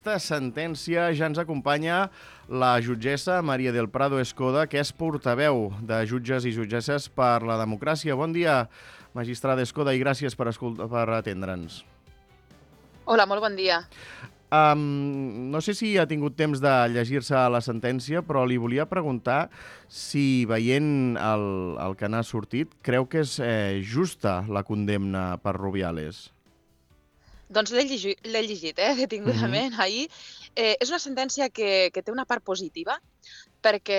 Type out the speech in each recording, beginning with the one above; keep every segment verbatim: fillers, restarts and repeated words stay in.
Aquesta sentència ja ens acompanya la jutgessa Maria del Prado Escoda, que és portaveu de jutges i jutgesses per la democràcia. Bon dia, magistrada Escoda, i gràcies per, per atendre'ns. Hola, molt bon dia. Um, no sé si ha tingut temps de llegir-se la sentència, però li volia preguntar si, veient el, el que n'ha sortit, creu que és eh, justa la condemna per Rubiales. Doncs l'he llegit, l'he llegit eh, detingudament uh-huh. ahir. Eh, és una sentència que, que té una part positiva, perquè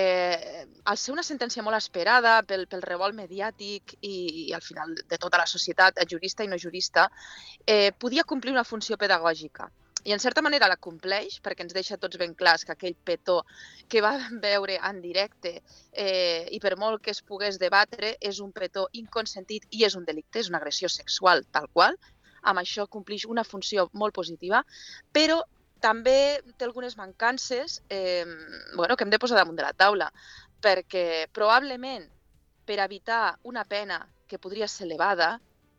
al ser una sentència molt esperada pel, pel revolt mediàtic i, i al final de tota la societat, jurista i no jurista, eh, podia complir una funció pedagògica. I en certa manera la compleix, perquè ens deixa tots ben clars que aquell petó que va veure en directe eh, i per molt que es pogués debatre és un petó inconsentit i és un delicte, és una agressió sexual tal qual. Amb això complix una funció molt positiva, però també té algunes mancances eh, bueno, que hem de posar damunt de la taula, perquè probablement per evitar una pena que podria ser elevada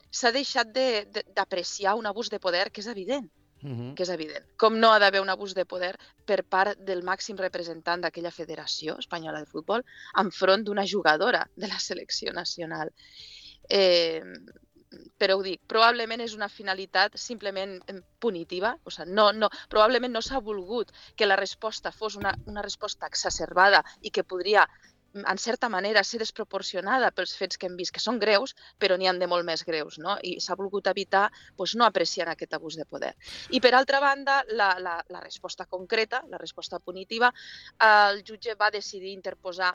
s'ha deixat d'apreciar un abús de poder que és evident. Uh-huh. que és evident. Com no ha d'haver un abús de poder per part del màxim representant d'aquella Federació Espanyola de Futbol enfront d'una jugadora de la selecció nacional. Eh, però ho dic, probablement és una finalitat simplement punitiva, o sigui, no, no, probablement no s'ha volgut que la resposta fos una, una resposta exacerbada i que podria en certa manera ser desproporcionada pels fets que hem vist, que són greus, però n'hi ha de molt més greus, no? I s'ha volgut evitar doncs, no apreciar aquest abús de poder. I per altra banda, la, la, la resposta concreta, la resposta punitiva, el jutge va decidir interposar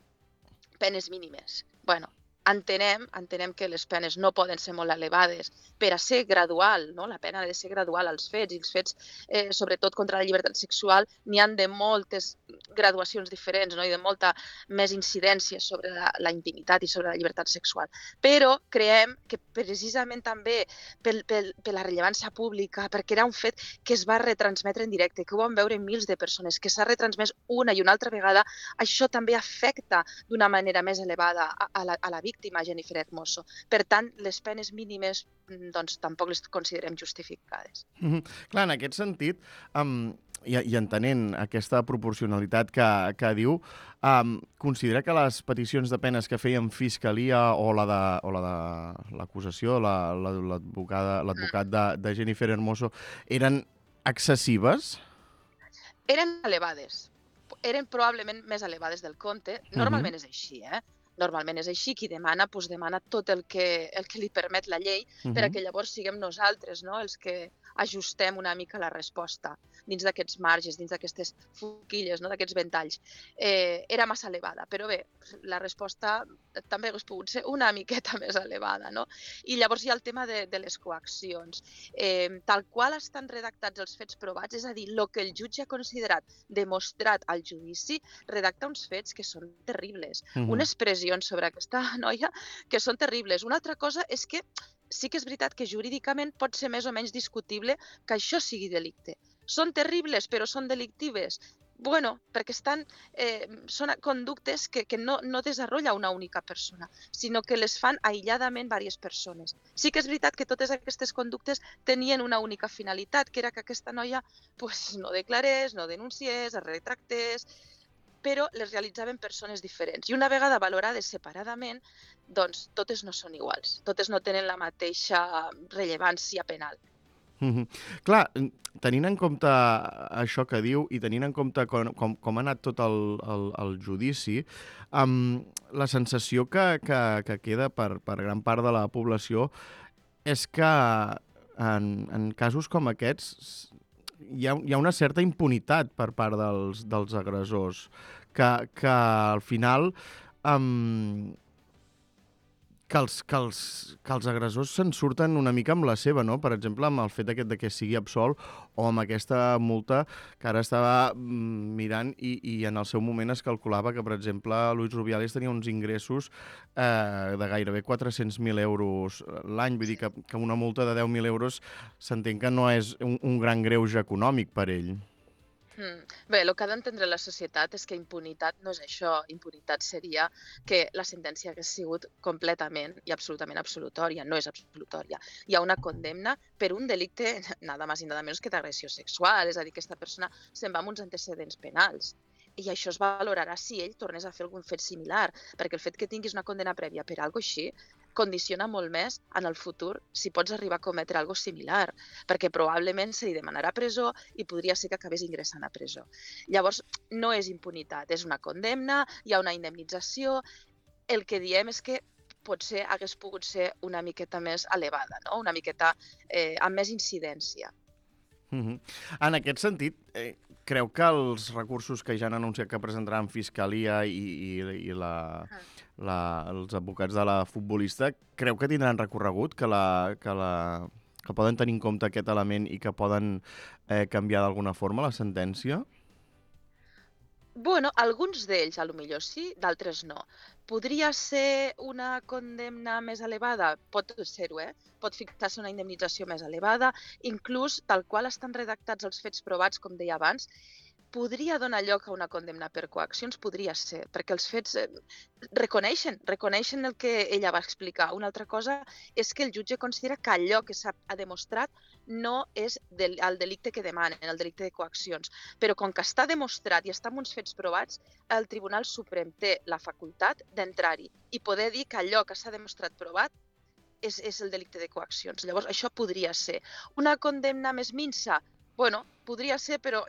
penes mínimes. Bueno, entenem, entenem que les penes no poden ser molt elevades per a ser gradual, no? La pena ha de ser gradual als fets, i els fets, eh, sobretot contra la llibertat sexual, n'hi han de moltes graduacions diferents, no? I de molta més incidència sobre la, la intimitat i sobre la llibertat sexual. Però creiem que precisament també per, per, per la rellevància pública, perquè era un fet que es va retransmetre en directe, que ho van veure mils de persones, que s'ha retransmès una i una altra vegada, això també afecta d'una manera més elevada a, a, la, a la víctima, Jennifer Hermoso. Per tant, les penes mínimes doncs, tampoc les considerem justificades. Mm-hmm. Clar, en aquest sentit, um, i, i entenent aquesta proporcionalitat que, que diu, um, considera que les peticions de penes que feien Fiscalia o la de, o la de l'acusació, l'advocat la, mm. de, de Jennifer Hermoso, eren excessives? Eren elevades. Eren probablement més elevades del compte. Normalment uh-huh. és així, eh? Normalment és així, qui demana, doncs demana tot el que, el que li permet la llei uh-huh. per a que llavors siguem nosaltres, no?, els que ajustem una mica la resposta dins d'aquests marges, dins d'aquestes forquilles, no?, d'aquests ventalls. Eh, era massa elevada, però bé, la resposta també hauria pogut ser una miqueta més elevada, no? I llavors hi ha el tema de, de les coaccions. Eh, tal qual estan redactats els fets provats, és a dir, el que el jutge ha considerat demostrat al judici, redacta uns fets que són terribles. Uh-huh. Unes pressions sobre aquesta noia que són terribles. Una altra cosa és que sí que és veritat que jurídicament pot ser més o menys discutible que això sigui delicte. Són terribles, però són delictives? Bueno, perquè estan, eh, són conductes que, que no, no desenvolupa una única persona, sinó que les fan aïlladament diverses persones. Sí que és veritat que totes aquestes conductes tenien una única finalitat, que era que aquesta noia pues, no declarés, no denunciés, es retractés, però les realitzaven persones diferents. I una vegada valorades separadament, doncs totes no són iguals, totes no tenen la mateixa rellevància penal. Mm-hmm. Clar, tenint en compte això que diu i tenint en compte com, com, com ha anat tot el, el, el judici, um, la sensació que, que, que queda per, per gran part de la població és que en, en casos com aquests hi ha, hi ha una certa impunitat per part dels, dels agressors, que, que al final um, que, els, que, els, que els agressors se'n surten una mica amb la seva, no? Per exemple, amb el fet aquest de que sigui absolt o amb aquesta multa que ara estava mirant i, i en el seu moment es calculava que, per exemple, Luis Rubiales tenia uns ingressos eh, de gairebé quatre-cents mil euros l'any. Vull dir que, que una multa de deu mil euros s'entén que no és un, un gran greuge econòmic per ell. Mm. Bé, el que ha d'entendre la societat és que impunitat no és això. Impunitat seria que la sentència hagués sigut completament i absolutament absolutòria. No és absolutòria. Hi ha una condemna per un delicte, nada más i nada menos que d'agressió sexual. És a dir, que aquesta persona se'n va amb uns antecedents penals. I això es valorarà si ell tornés a fer algun fet similar, perquè el fet que tinguis una condemna prèvia per algo així condiciona molt més en el futur si pots arribar a cometre algo similar, perquè probablement se li demanarà presó i podria ser que acabés ingressant a presó. Llavors, no és impunitat, és una condemna, hi ha una indemnització. El que diem és que potser hagués pogut ser una miqueta més elevada, no? Una miqueta eh, amb més incidència. Uh-huh. En aquest sentit, eh, creu que els recursos que ja han anunciat que presentaran Fiscalia i, i, i la, la, els advocats de la futbolista, creu que tindran recorregut, que, la, que, la, que poden tenir en compte aquest element i que poden eh, canviar d'alguna forma la sentència? Bueno, alguns d'ells, a lo millor sí, d'altres no. Podria ser una condemna més elevada? Pot ser-ho, eh? Pot fixar-se una indemnització més elevada, inclús tal qual estan redactats els fets provats, com deia abans, podria donar lloc a una condemna per coaccions, podria ser, perquè els fets eh, reconeixen, reconeixen el que ella va explicar. Una altra cosa és que el jutge considera que allò que s'ha demostrat no és del, el delicte que demanen, el delicte de coaccions. Però com que està demostrat i està amb uns fets provats, el Tribunal Suprem té la facultat d'entrar-hi i poder dir que allò que s'ha demostrat provat és, és el delicte de coaccions. Llavors, això podria ser. Una condemna més minsa? Bueno, podria ser, però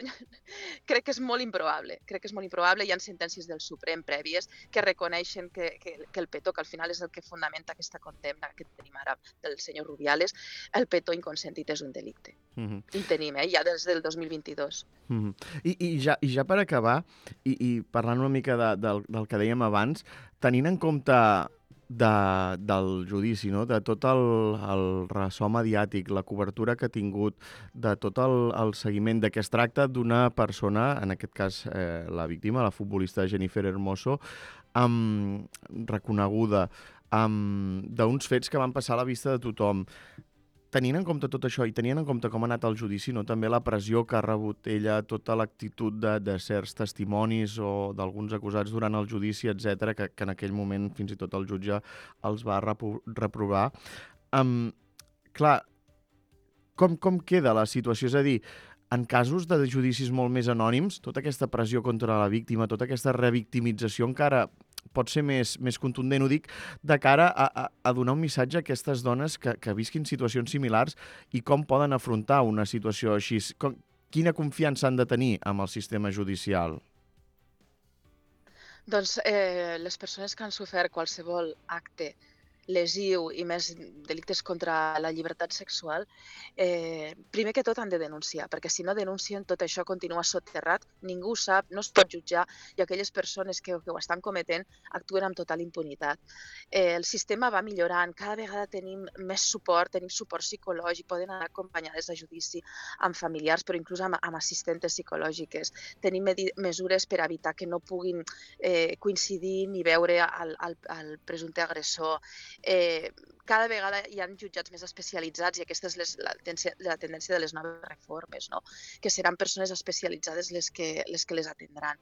crec que és molt improbable. Crec que és molt improbable. Hi ha sentències del Suprem prèvies que reconeixen que, que, que el petó, que al final és el que fundamenta aquesta condemna que tenim ara del senyor Rubiales, el petó inconsentit és un delicte. Uh-huh. I tenim, eh? Ja des del dos mil vint-i-dos. Uh-huh. I, i, ja, I ja per acabar, i, i parlant una mica de, del, del que dèiem abans, tenint en compte de, del judici, no? De tot el, el ressò mediàtic, la cobertura que ha tingut, de tot el, el seguiment, de que es tracta d'una persona, en aquest cas eh, la víctima, la futbolista Jennifer Hermoso, um, reconeguda, um, d'uns fets que van passar a la vista de tothom. Tenint en compte tot això i tenint en compte com ha anat el judici, no? També la pressió que ha rebut ella, tota l'actitud de, de certs testimonis o d'alguns acusats durant el judici, etcètera, que, que en aquell moment fins i tot el jutge els va repro reprovar. Um, clar, com, com queda la situació? És a dir, en casos de judicis molt més anònims, tota aquesta pressió contra la víctima, tota aquesta revictimització encara pot ser més, més contundent, ho dic, de cara a, a, a donar un missatge a aquestes dones que, que visquin situacions similars i com poden afrontar una situació així. Com, quina confiança han de tenir amb el sistema judicial? Doncs eh, les persones que han sofert qualsevol acte lesiu i més delictes contra la llibertat sexual, eh, primer que tot han de denunciar, perquè si no denuncien tot això continua soterrat, ningú ho sap, no es pot jutjar i aquelles persones que, que ho estan cometent actuen amb total impunitat. Eh, el sistema va millorant, cada vegada tenim més suport, tenim suport psicològic, poden anar acompanyades a judici amb familiars, però inclús amb, amb assistentes psicològiques. Tenim mesures per evitar que no puguin eh, coincidir ni veure el, el, el presumpte agressor. Eh, cada vegada hi ha jutjats més especialitzats i aquesta és les, la, tendència, la tendència de les noves reformes, no? Que seran persones especialitzades les que les, que les atendran.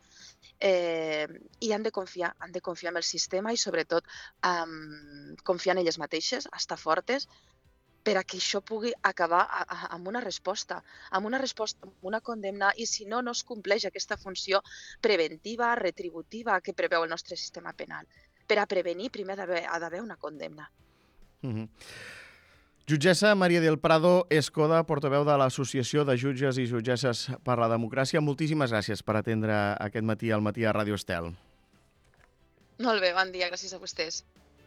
Eh, I han de confiar, han de confiar en el sistema i sobretot um, confiar en elles mateixes, estar fortes, per a que això pugui acabar a, a, amb una resposta, amb una resposta, amb una condemna, i si no, no es compleix aquesta funció preventiva, retributiva que preveu el nostre sistema penal. Per a prevenir, primer ha d'haver una condemna. Uh-huh. Jutgessa Maria del Prado Escoda, portaveu de l'Associació de Jutges i Jutgesses per la Democràcia. Moltíssimes gràcies per atendre aquest matí al matí a Ràdio Estel. Molt bé, bon dia, gràcies a vostès.